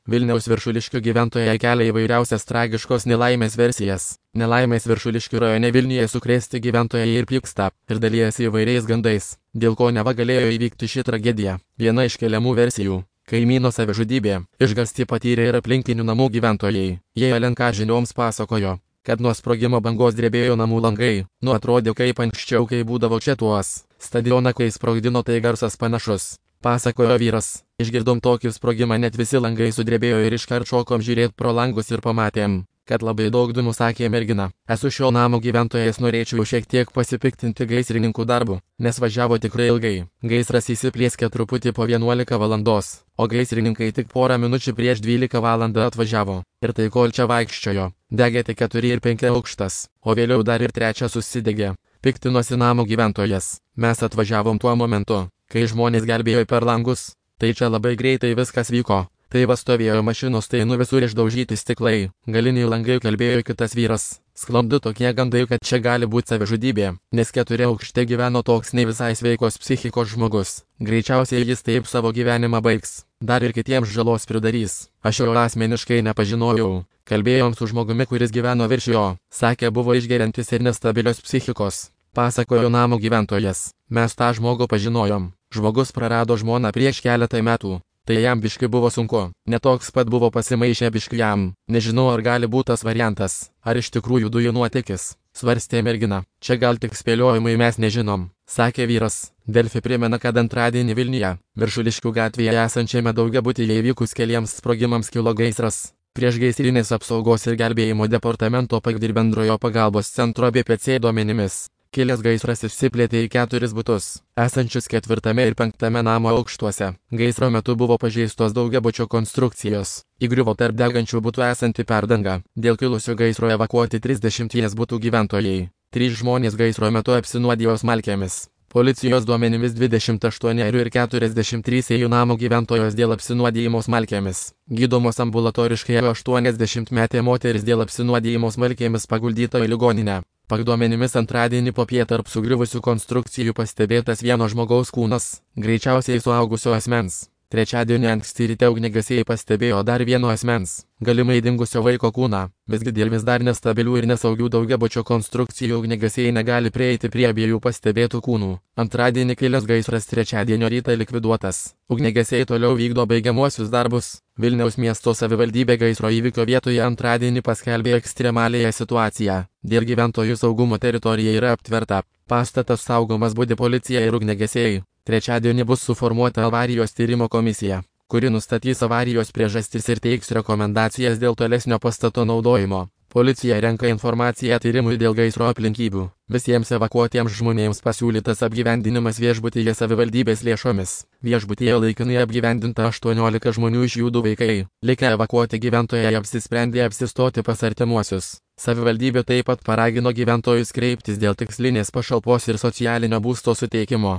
Vilniaus Viršuliškių gyventojai kelia įvairiausias tragiškos nelaimės versijas. Nelaimės Viršuliškių rajone Vilniuje sukrėsti gyventojai ir pyksta, ir dalijasi įvairiais gandais, dėl ko neva galėjo įvykti ši tragedija. Viena iš keliamų versijų - kaimyno savižudybė. Išgąstį patyrė ir aplinkinių namų gyventojai. Jie LNK žinioms pasakojo, kad nuo sprogimo bangos drebėjo namų langai. Atrodė kaip anksčiau, kai būdavo čia tuos stadioną, kai sprogdino, tai garsas panašus, pasakojo vyras. Išgirdom tokį sprogimą, net visi langai sudrebėjo ir iškart šokom žiūrėti pro langus ir pamatėm, kad labai daug dūmų, sakė mergina. Esu šio namo gyventojas, norėčiau šiek tiek pasipiktinti gaisrininkų darbu, nes važiavo tikrai ilgai. Gaisras įsiplieskė truputį po 11 valandos, o gaisrininkai tik porą minučių prieš 12 valandą atvažiavo. Ir tai kol čia vaikščiojo, degė tik 4 ir 5 aukštas, o vėliau dar ir 3 susidegė. Piktinosi namo gyventojas. Mes atvažiavom tuo momentu, kai žmonės gelbėjo per langus. Tai čia labai greitai viskas vyko. Tai va stovėjo mašinos, tai visur išdaužyti stiklai. Galiniai langai, kalbėjo kitas vyras. Sklandu tokie gandai, kad čia gali būti savižudybė, nes 4 aukšte gyveno toks ne visai sveikos psichikos žmogus. Greičiausiai jis taip savo gyvenimą baigs. Dar ir kitiems žalos pridarys. Aš jo asmeniškai nepažinojau. Kalbėjom su žmogumi, kuris gyveno virš jo. Sakė, buvo išgeriantis ir nestabilios psichikos. Pasakojo namo gyventojas. Mes tą žmogų pažinojom. Žmogus prarado žmoną prieš keletą metų. Tai jam biški buvo sunku. Netoks pat buvo pasimaišę biški jam. Nežinau, ar gali būti tas variantas. Ar iš tikrųjų dujų nuotėkis, svarstė mergina. Čia gal tik spėliojimai, mes nežinom, sakė vyras. Delfi primena, kad antradienį Vilniuje, Viršuliškių gatvėje esančiame daugiabutyje įvykus keliems sprogimams kilo gaisras. Priešgaisrinės apsaugos ir gelbėjimo departamento ir bendrojo pagalbos centro BPC duomenimis. Kilęs gaisras išsiplėtė į 4 butus, esančius 4 ir 5 namo aukštuose. Gaisro metu buvo pažeistos daugiabučio konstrukcijos. Įgriuvo tarp degančių butų esanti perdanga. Dėl kilusio gaisro evakuoti 30 butų gyventojai. 3 žmonės gaisro metu apsinuodijo smalkėmis. Policijos duomenimis 28 ir 43 jų namo gyventojos dėl apsinuodijimo smalkėmis. Gydomos ambulatoriškai 80-metė moteris dėl apsinuodijimo smalkėmis paguldyta į ligoninę. Duomenimis antradienį popiet tarp sugriuvusių konstrukcijų pastebėtas vieno žmogaus kūnas, greičiausiai suaugusio asmens. Trečiadienį anksti ryte ugniagesiai pastebėjo dar vieno asmens, galimai dingusio vaiko kūną. Visgi dėl vis dar nestabilių ir nesaugių daugiabučio konstrukcijų ugniagesiai negali prieiti prie abiejų pastebėtų kūnų. Antradienį kilęs gaisras trečiadienio rytą likviduotas. Ugniagesiai toliau vykdo baigiamuosius darbus. Vilniaus miesto savivaldybė gaisro įvykio vietoje antradienį paskelbė ekstremalėją situaciją. Dėl gyventojų saugumo teritorija yra aptverta. Pastatas saugomas, budi policija ir ugniagesiai. Trečiadienį bus suformuota avarijos tyrimo komisija, kuri nustatys avarijos priežastis ir teiks rekomendacijas dėl tolesnio pastato naudojimo. Policija renka informaciją tyrimui dėl gaisro aplinkybių. Visiems evakuotiems žmonėms pasiūlytas apgyvendinimas viešbutyje savivaldybės lėšomis. Viešbutyje laikinai apgyvendinta 18 žmonių, iš jų 2 vaikai. Likę evakuoti gyventojai apsisprendė apsistoti pas artimuosius. Savivaldybė taip pat paragino gyventojus kreiptis dėl tikslinės pašalpos ir socialinio būsto suteikimo.